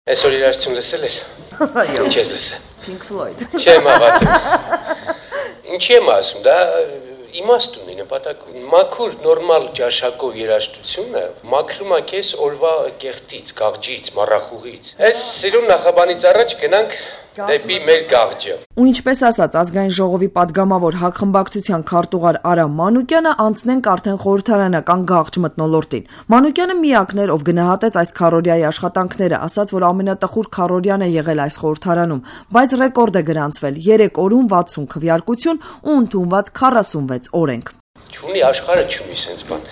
Այսօր երաժշտություն լսել ես։ Ինչ ես լսել։ Pink Floyd։ Չեմ հավատում։ Ինչի եմ ասում, դա իմաստ ունի, նպատակ ունի։ Մաքուր նորմալ ճաշակով երաժշտությունը մաքրում է քեզ օրվա կեղտից, գաղջից, մառախուղից։ Այս սիրուն նախաբանից առաջ գնանք դեպի մեր գաղջը։ Ու ինչպես ասաց ազգային ժողովի падգամավոր հակխմբակցության քարտուղար Արամ Մանուկյանը, անցնենք արդեն խորհրդարանական գաղջ մթնոլորտին։ Մանուկյանը միակն էր, ով գնահատեց այս քառօրյայի աշխատանքները, ասաց, որ ամենատխուր քառօրյան է եղել այս խորհրդարանում, բայց ռեկորդ է գրանցվել 3 օրում 60 քվեարկություն ու ընդունված 46 օրենք։ Չունի աշխարհը չունի sense բան։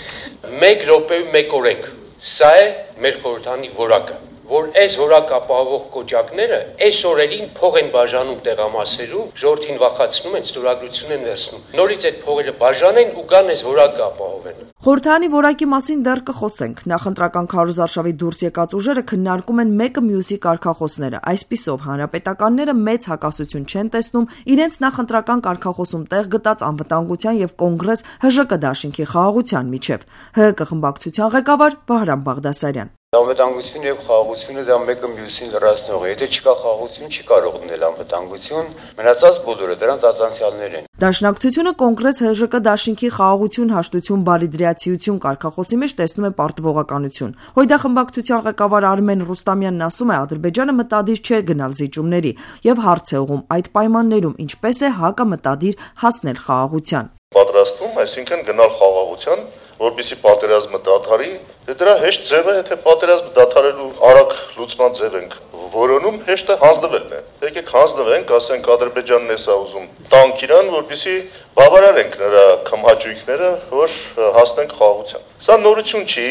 1 րոպեում 1 օրենք։ Սա է մեր խորհրդանի որակը, որ այս որակ ապահովող կոճակները այս օրերին փող են բաժանում տեղամասերում, ժողովրդին վախացնում են, ստորագրություն են վերցնում։ Նորից այդ փողերը բաժանեն ու գան այս որակը ապահովեն։ Խորհրդանի որակի մասին դեռ կխոսենք։ Նախընտրական քարոզարշավի դուրս եկած ուժերը քննարկում են մեկը մյուսի կարգախոսները։ Այսպիսով հանրապետականները մեծ հակասություն չեն տեսնում իրենց նախընտրական կարգախոսում տեղ գտած անվտանգության եւ կոնգրես ՀԺԿ դաշինքի խաղաղության միջև։ ՀՀԿ խմբակցության ղեկավար Վահրամ Բաղդասարյան։ Անվտանգություն եւ խաղաղությունը դա մեկը մյուսին լրացնող է։ Եթե չկա խաղաղություն, չի կարող լինել անվտանգություն, մնացած բոլորը դրանց ածանցյալներ են։ Դաշնակցությունը կոնգրես ՀԺԿ դաշինքի խաղաղություն, հաշտություն, բարիդրացիություն կարգախոսի մեջ տեսնում է պարտվողականություն։ Հույդա խմբակցության ղեկավար Արմեն Ռուստամյանն ասում է, Ադրբեջանը մտադիր չէ գնալ զիջումների եւ հարց է ուղղում այդ պայմաններում ինչպես է ՀԱԿ-ը մտադիր հասնել խաղաղության։ Պատրաստվում, այսինքն գնալ խաղաղության, որպեսզի պատերազմը դադարի, դրա հեշտ ձևը, եթե պատերազմը դադարելու արագ լուծման ձև ենք որոնում, հեշտը հանձնվելն է։ Եկեք հանձնվենք, ասենք Ադրբեջանն է սա ուզում տանք իրան, որպեսզի բավարարենք նրա քմահաճույքները, որ հասնենք խաղաղության։ Սա նորություն չի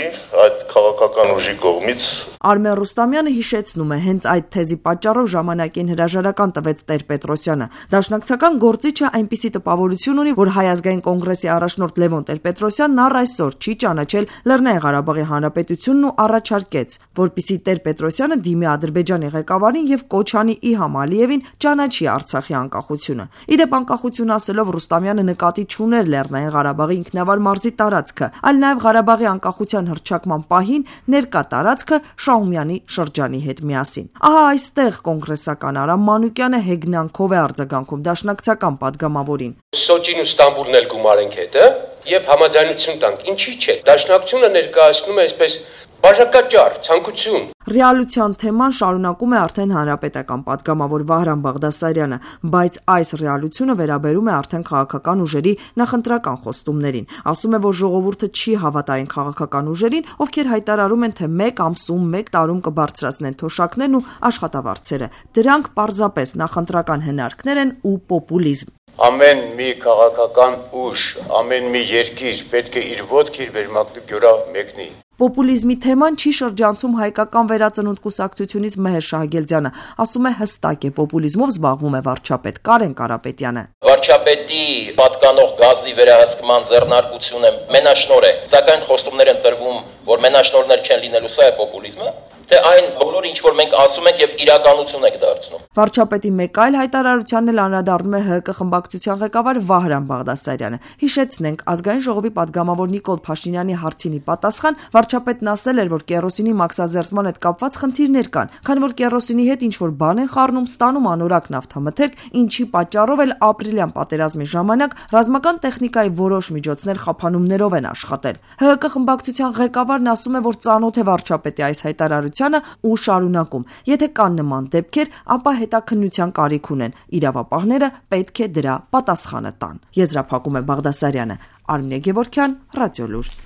այդ քաղաքական ուժի կողմից։ Արմեն Ռուստամյանը հիշեցնում է, հենց այդ թեզի պատճառով ժամանակին հրաժարական տվեց Տեր-Պետրոսյանը։ Դաշնակցական գործիչը այնպիսի տպավորություն ունի, որ Հայ ազգային կոնգրեսի առաջնորդ Լևոն Տեր-Պետրոսյանն առ այսօր չի ճանաչել Լեռնային Ղարաբաղի Հանրապետությունն ու առաջարկեց, որպեսզի Տեր-Պետրոսյանը դիմի Ադրբեջանի ղեկավարին եւ կոչ անի Իլհամ Ալիևին ճանաչի Արցախի անկախությունը։ Իդեպ անկախություն ասելով Ռուստամյանը նկատի չուներ Լեռնային Ղարաբաղի ինքնավար մարզի տարածքը, այլ նաեւ Ղարաբաղի անկախության հռչակման պահին ներկա տարածքը Շահումյանի շրջանի հետ միասին։ Ահա այստեղ կոնգրեսական Արամ Մանուկյանը հեգնանքով է արձագանքում դաշնակցական падգամավորին։ Սոչին ու Ստամբուլն էլ գումարենք հետը եւ համաձայնություն տանք։ Ինչի՞ չէ։ Դաշնակցությունը ներկայացնում է այսպես բաժակաճառ, ցանկություն։ Ռեալության թեման շարունակում է արդեն հանրապետական падգամավոր Վահրամ Բաղդասարյանը, բայց այս ռեալությունը վերաբերում է արդեն քաղաքական ուժերի նախընտրական խոստումներին։ Ասում է, որ ժողովուրդը չի հավատա այն քաղաքական ուժերին, ովքեր հայտարարում են, թե 1 ամսում, 1 տարում կբարձրացնեն թոշակներն ու աշխատավարձերը։ Դրանք պարզապես նախընտրական հնարքներ են ու պոպուլիզմ։ Ամեն մի քաղաքական ուժ, ամեն մի երկիր պետք է իր ոտքը իր վերմակնի գյուրա մեկնի։ Պոպուլիզմի թեման չի շրջանցում հայկական վերածնունդ կուսակցությունից Մեհեր Շահագելդյանը, ասում է հստակ է պոպուլիզմով զբաղվում է վարչապետ Կարեն Կարապետյանը։ Վարչապետի պատկանող գազի վերահսկման ձեռնարկությունը մենաշնոր է, սակայն խոստումներ են տրվում, որ մենաշնորներ չեն լինելու, սա է պոպուլիզմը։ Թե այն բոլորը ինչ որ մենք ասում ենք եւ իրականություն ենք դարձնում։ Վարչապետի մեկ այլ հայտարարությանն էլ անդրադառնում է ՀՀԿ խմբակցության ղեկավար Վահրամ Բաղդասարյանը։ Հիշեցնենք, ազգային ժողովի падգամավոր Նիկոլ Փաշինյանի հարցինի պատասխան վարչապետն ասել էր, որ կերոսինի մաքսազերծման հետ կապված խնդիրներ կան, քանի որ կերոսինի հետ ինչ որ բան են խառնում, ստանում անորակ նավթամթերք, ինչի պատճառով էլ ապրիլյան պատերազմի ժամանակ ռազմական տեխնիկայի որոշ միջոցներ խափանումներով են աշխատել։ ՀՀԿ խմբակցության ղեկավարն ասում է, որ ծանոթ է վարչապետի այս հայտարարությանը ու շարունակում. Եթե կան նման դեպքեր, ապա հետաքննության կարիք ունեն։ Իրավապահները պետք է դրա պատասխանը տան։ Եզրափակում է Բաղդասարյանը։ Արմինե Գևորգյան, Ռադիոլուր։